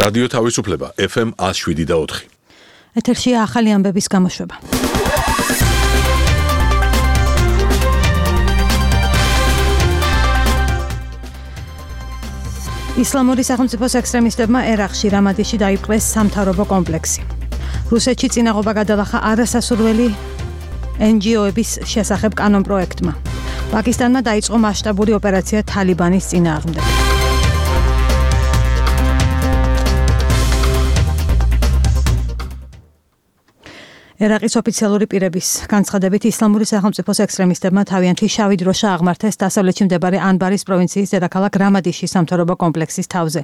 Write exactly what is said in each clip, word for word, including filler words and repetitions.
რადიო თავისუფლება ეფ ემ one oh seven და four. ეთერშია ახალი ამბების გამოშვება. ისლამური სახელმწიფოს ექსტრემისტებმა ერაყში რამადიში დაიპყრეს სამთავრობო კომპლექსი. რუსეთში წინაღობა გადალახა არასასურველი ენ ჯი ო-ების შესახებ კანონპროექტმა. პაკისტანმა დაიწყო მასშტაბური ოპერაცია თალიბანის წინააღმდეგ. ერაყის ოფიციალური პირების განცხადებით ისლამური სახელმწიფოს ექსტრემისტებმა თავიანთი შავი დროშა აღმართეს დასავლეთში მდებარე ანბარის პროვინციის დედაქალაქ რამადიშის სამთავრობო კომპლექსის თავზე.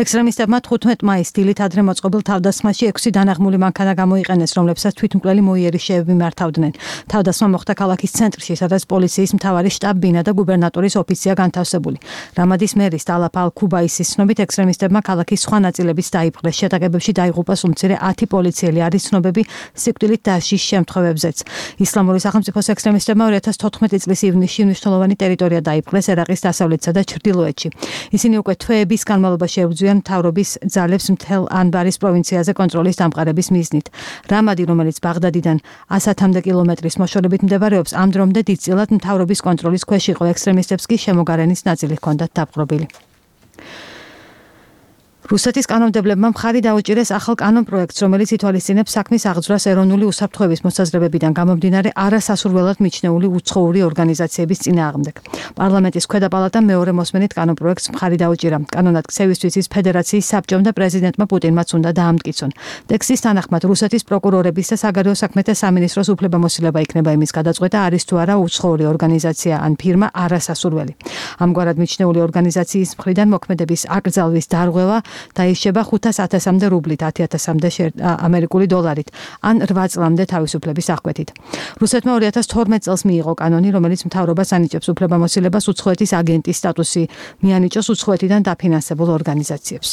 ექსტრემისტებმა თხუთმეტ მაისს დილით ადრე მოწყობილ თავდასხმაში ექვსი დანაღმული მანქანა გამოიყენეს, რომლებსაც თვითმკვლელი მოიერიშეები მართავდნენ. თავდასხმა მოხდა ქალაქის ცენტრში, სადაც პოლიციის მთავარი შტაბ-ბინა და გუბერნატორის ოფიცია განთავსებული. რამადის მერის ალაფ ალ-ქუბაისის ცნობით ექსტრემისტებმა ქალაქის სხვა ნაწილებიც დაიპყრეს. შეტაკებებში დაიღუპა უმცირე ათი პოლიციელი, არის ცნობები სიკვდილით დაშის შემთხვევებზეც. ისლამური სახელმწიფოს ექსტრემისტებმა ორი ათას თოთხმეტი წლის ივნისში მნიშვნელოვანი ტერიტორია დაიპყრეს ერაყის დასავლეთსა და ჩრდილოეთში. ისინი უკვე თვეების განმავლობაში ებრძვიან მთავრობის ძალებს მთელ ანბარის პროვინციაზე კონტროლის დამყარების მიზნით. რამადი, რომელიც ბაღდადიდან ასათამდე კილომეტრის მოშორებით მდებარეობს, ამ დრომდე დიდწილად მთავრობის კონტროლის ქვეშ იყო. ექსტრემისტებს კი შემოგარენის ნაწილი ჰქონდათ დაპყრობილი. რუსეთის კანონმდებლებმა მხარი დაუჭირეს ახალ კანონპროექტს, რომელიც ითვალისწინებს საქმის აღძვრას ეროვნული უსაფრთხოების მოსაზრებებიდან გამომდინარე არასასურველად მიჩნეული უცხოური ორგანიზაციების წინააღმდეგ. პარლამენტის ქვედა პალატამ მეორე მოსმენით კანონპროექტს მხარი დაუჭირა. კანონმდებლობის ის ფედერაციის საბჭომ და პრეზიდენტმა პუტინმაც უნდა დაამტკიცონ. ტექსტის თანახმად რუსეთის პროკურორების და საგარეო საქმეთა სამინისტროს უფლებამოსილება იქნება იმის გადაწყვეტა, არის თუ არა უცხოური ორგანიზაცია ან ფირმა არასასურველი. ამგვარად მიჩნეული ორგანიზაციის მხრიდან მოქმედების აკრძალვის დარღვევა დაიშება ხუთას ათასამდე რუბლით, ათი ათასამდე ამერიკული დოლარით, ან რვა წლამდე თავისუფლების აღკვეთით. რუსეთმა ორი ათას თორმეტ წელს მიიღო კანონი, რომელიც მთავრობას ანიჭებს უფლებამოსილებას უცხოეთის აგენტის სტატუსი მიანიჭოს უცხოეთიდან დაფინანსებულ ორგანიზაციებს.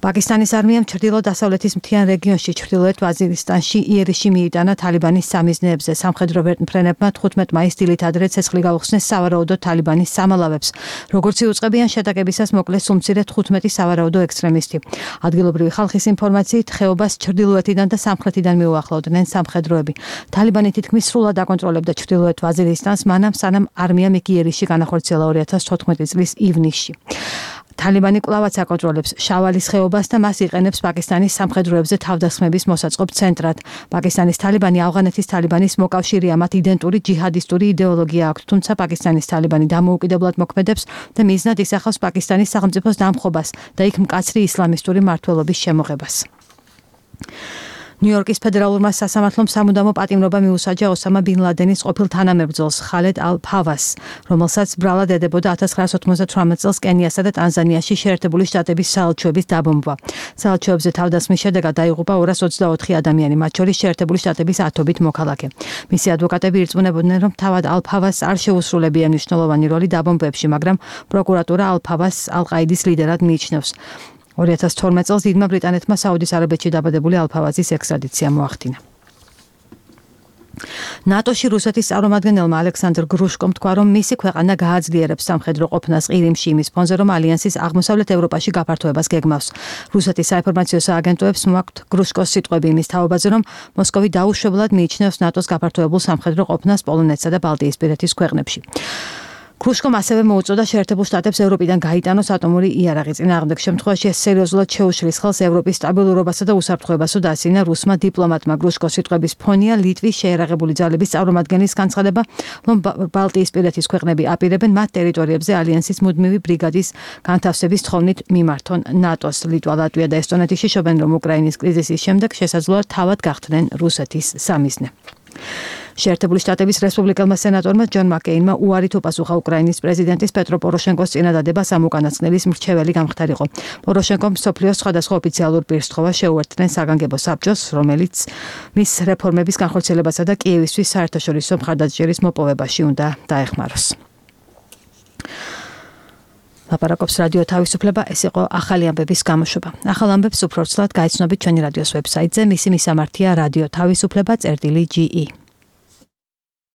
პაკისტანის არმიამ ჩრდილო-დასავლეთის მთიან რეგიონში ჩრდილოეთ ვაზირისტანში იერიში მიიტანა თალიბანის სამიზნეებზე. სამხედრო ვერტმფრენებმა თხუთმეტ მაისს დილით ადრე ცეცხლი გაუხსნეს სავარაუდო თალიბანის სამალავებს. როგორც იუწყებიან შეტაკებისას მოკლეს უმცირე თხუთმეტი სავარაუდო ექსტრემისტი. ადგილობრივი ხალხის ინფორმაციით ხეობას ჩრდილოეთიდან და სამხრეთიდან მიუახლოვდნენ სამხედროები. თალიბანი თითქმის სრულად აკონტროლებდა ჩრდილოეთ ვაზირისტანს, მანამ სანამ არმიამ იქ იერიში განახორციელა ორი ათას თოთხმეტი წლის ივნისში. თალიბანი კვლავაც აკონტროლებს შავალის ხეობას და მას იყენებს პაკისტანის სამხედროებზე თავდასხმების მოსაწყობ ცენტრად. პაკისტანის თალიბანი ავღანეთის თალიბანის მოკავშირეა, მათ იდენტური ჯიჰადისტური იდეოლოგია აქვთ, თუმცა პაკისტანის თალიბანი დამოუკიდებლად მოქმედებს და მიზნად ისახავს პაკისტანის სახელმწიფოს დამხობას და იქ მკაცრი ისლამისტური მმართველობის შემოღებას. ნიუ-იორკის ფედერალურმა სასამართლომ სამუდამო პატიმრობა მიუსაჯა ოსამა ბინ ლადენის ყოფილ თანამებრძოლს ხალედ ალ-ფავას, რომელსაც ბრალად ედებოდა ათას ცხრაასა ოცდათვრამეტ წელს კენიასა და ტანზანიაში შეერთებული შტატების საელჩოების დაბომბვა. საელჩოებზე თავდასხმის შედეგად დაიღუპა ორას ოცდაოთხი ადამიანი, მათ შორის შეერთებული შტატების ათობით მოქალაქე. მისი ადვოკატები ირწმუნებოდნენ, რომ თავად ალ-ფავას არ შეუსრულებია მნიშვნელოვანი როლი დაბომბვებში, მაგრამ პროკურატურა ალ-ფავას ალ-ყაიდის ლიდერად მიიჩნევს. ორი ათას თორმეტ წელს დიდმა ბრიტანეთმა საუდის არაბეთში დაბადებული ალ-ფავაზის ექსტრადიცია მოახდინა. ნატოში რუსეთის წარმომადგენელმა ალექსანდრ გრუშკომ თქვა, რომ მისი ქვეყანა გააძლიერებს სამხედრო ყოფნას ყირიმში იმის ფონზე, რომ ალიანსის აღმოსავლეთ ევროპაში გაფართოებას გეგმავს. რუსეთის საინფორმაციო სააგენტოებს მოაქვთ გრუშკოს სიტყვები იმის თაობაზე, რომ მოსკოვი დაუშვებლად მიიჩნევს ნატოს გაფართოებულ სამხედრო ყოფნას პოლონეთსა და ბალტიისპირეთის ქვეყნებში. გრუშკომ ასევე მოუწოდა შეერთებულ შტატებს ევროპიდან გაიტანოს ატომური იარაღი. წინააღმდეგ შემთხვევაში ეს სერიოზულად შეუშლის ხელს ევროპის სტაბილურობასა და უსაფრთხოებასო დაასინა რუსმა დიპლომატმა. გრუშკოს სიტყვების ფონია ლიტვის შეიარაღებული ძალების წარმომადგენლის განცხადება, რომ ბალტიისპირეთის ქვეყნები აპირებენ მათ ტერიტორიებზე ალიანსის მუდმივი ბრიგადის განთავსების თხოვნით მიმართონ ნატოს. ლიტვა, ლატვია და ესტონეთი შიშობენ, რომ უკრაინის კრიზისის შემდეგ შესაძლოა თავად გახდნენ რუსეთის სამიზნე. შეერთებული შტატების რესპუბლიკელმა სენატორმა ჯონ მაკეინმა უარით უპასუხა უკრაინის პრეზიდენტის პეტრო პოროშენკოს წინადადებას ამ უკანასკნელის მრჩეველი გამხდარიყო. პოროშენკომ მსოფლიოს სხვადასხვა ოფიციალურ პირსთხოვა შეუერთდნენ საგანგებო საბჭოს, რომელიც მის რეფორმების განხორციელებასა და კიევისთვის საერთაშორისო მხარდაჭერის მოპოვებაში უნდა დაეხმაროს. ლაპარაკობს რადიო თავისუფლება, ეს იყო ახალი ამბების გამოშვება. ახალ ამბებს უფრო ცვლად გაიცნობთ ჩვენი რადიოს ვებსაიტზე, მისი მისამართია რადიო თავისუფლება წერტილი ჯი ი.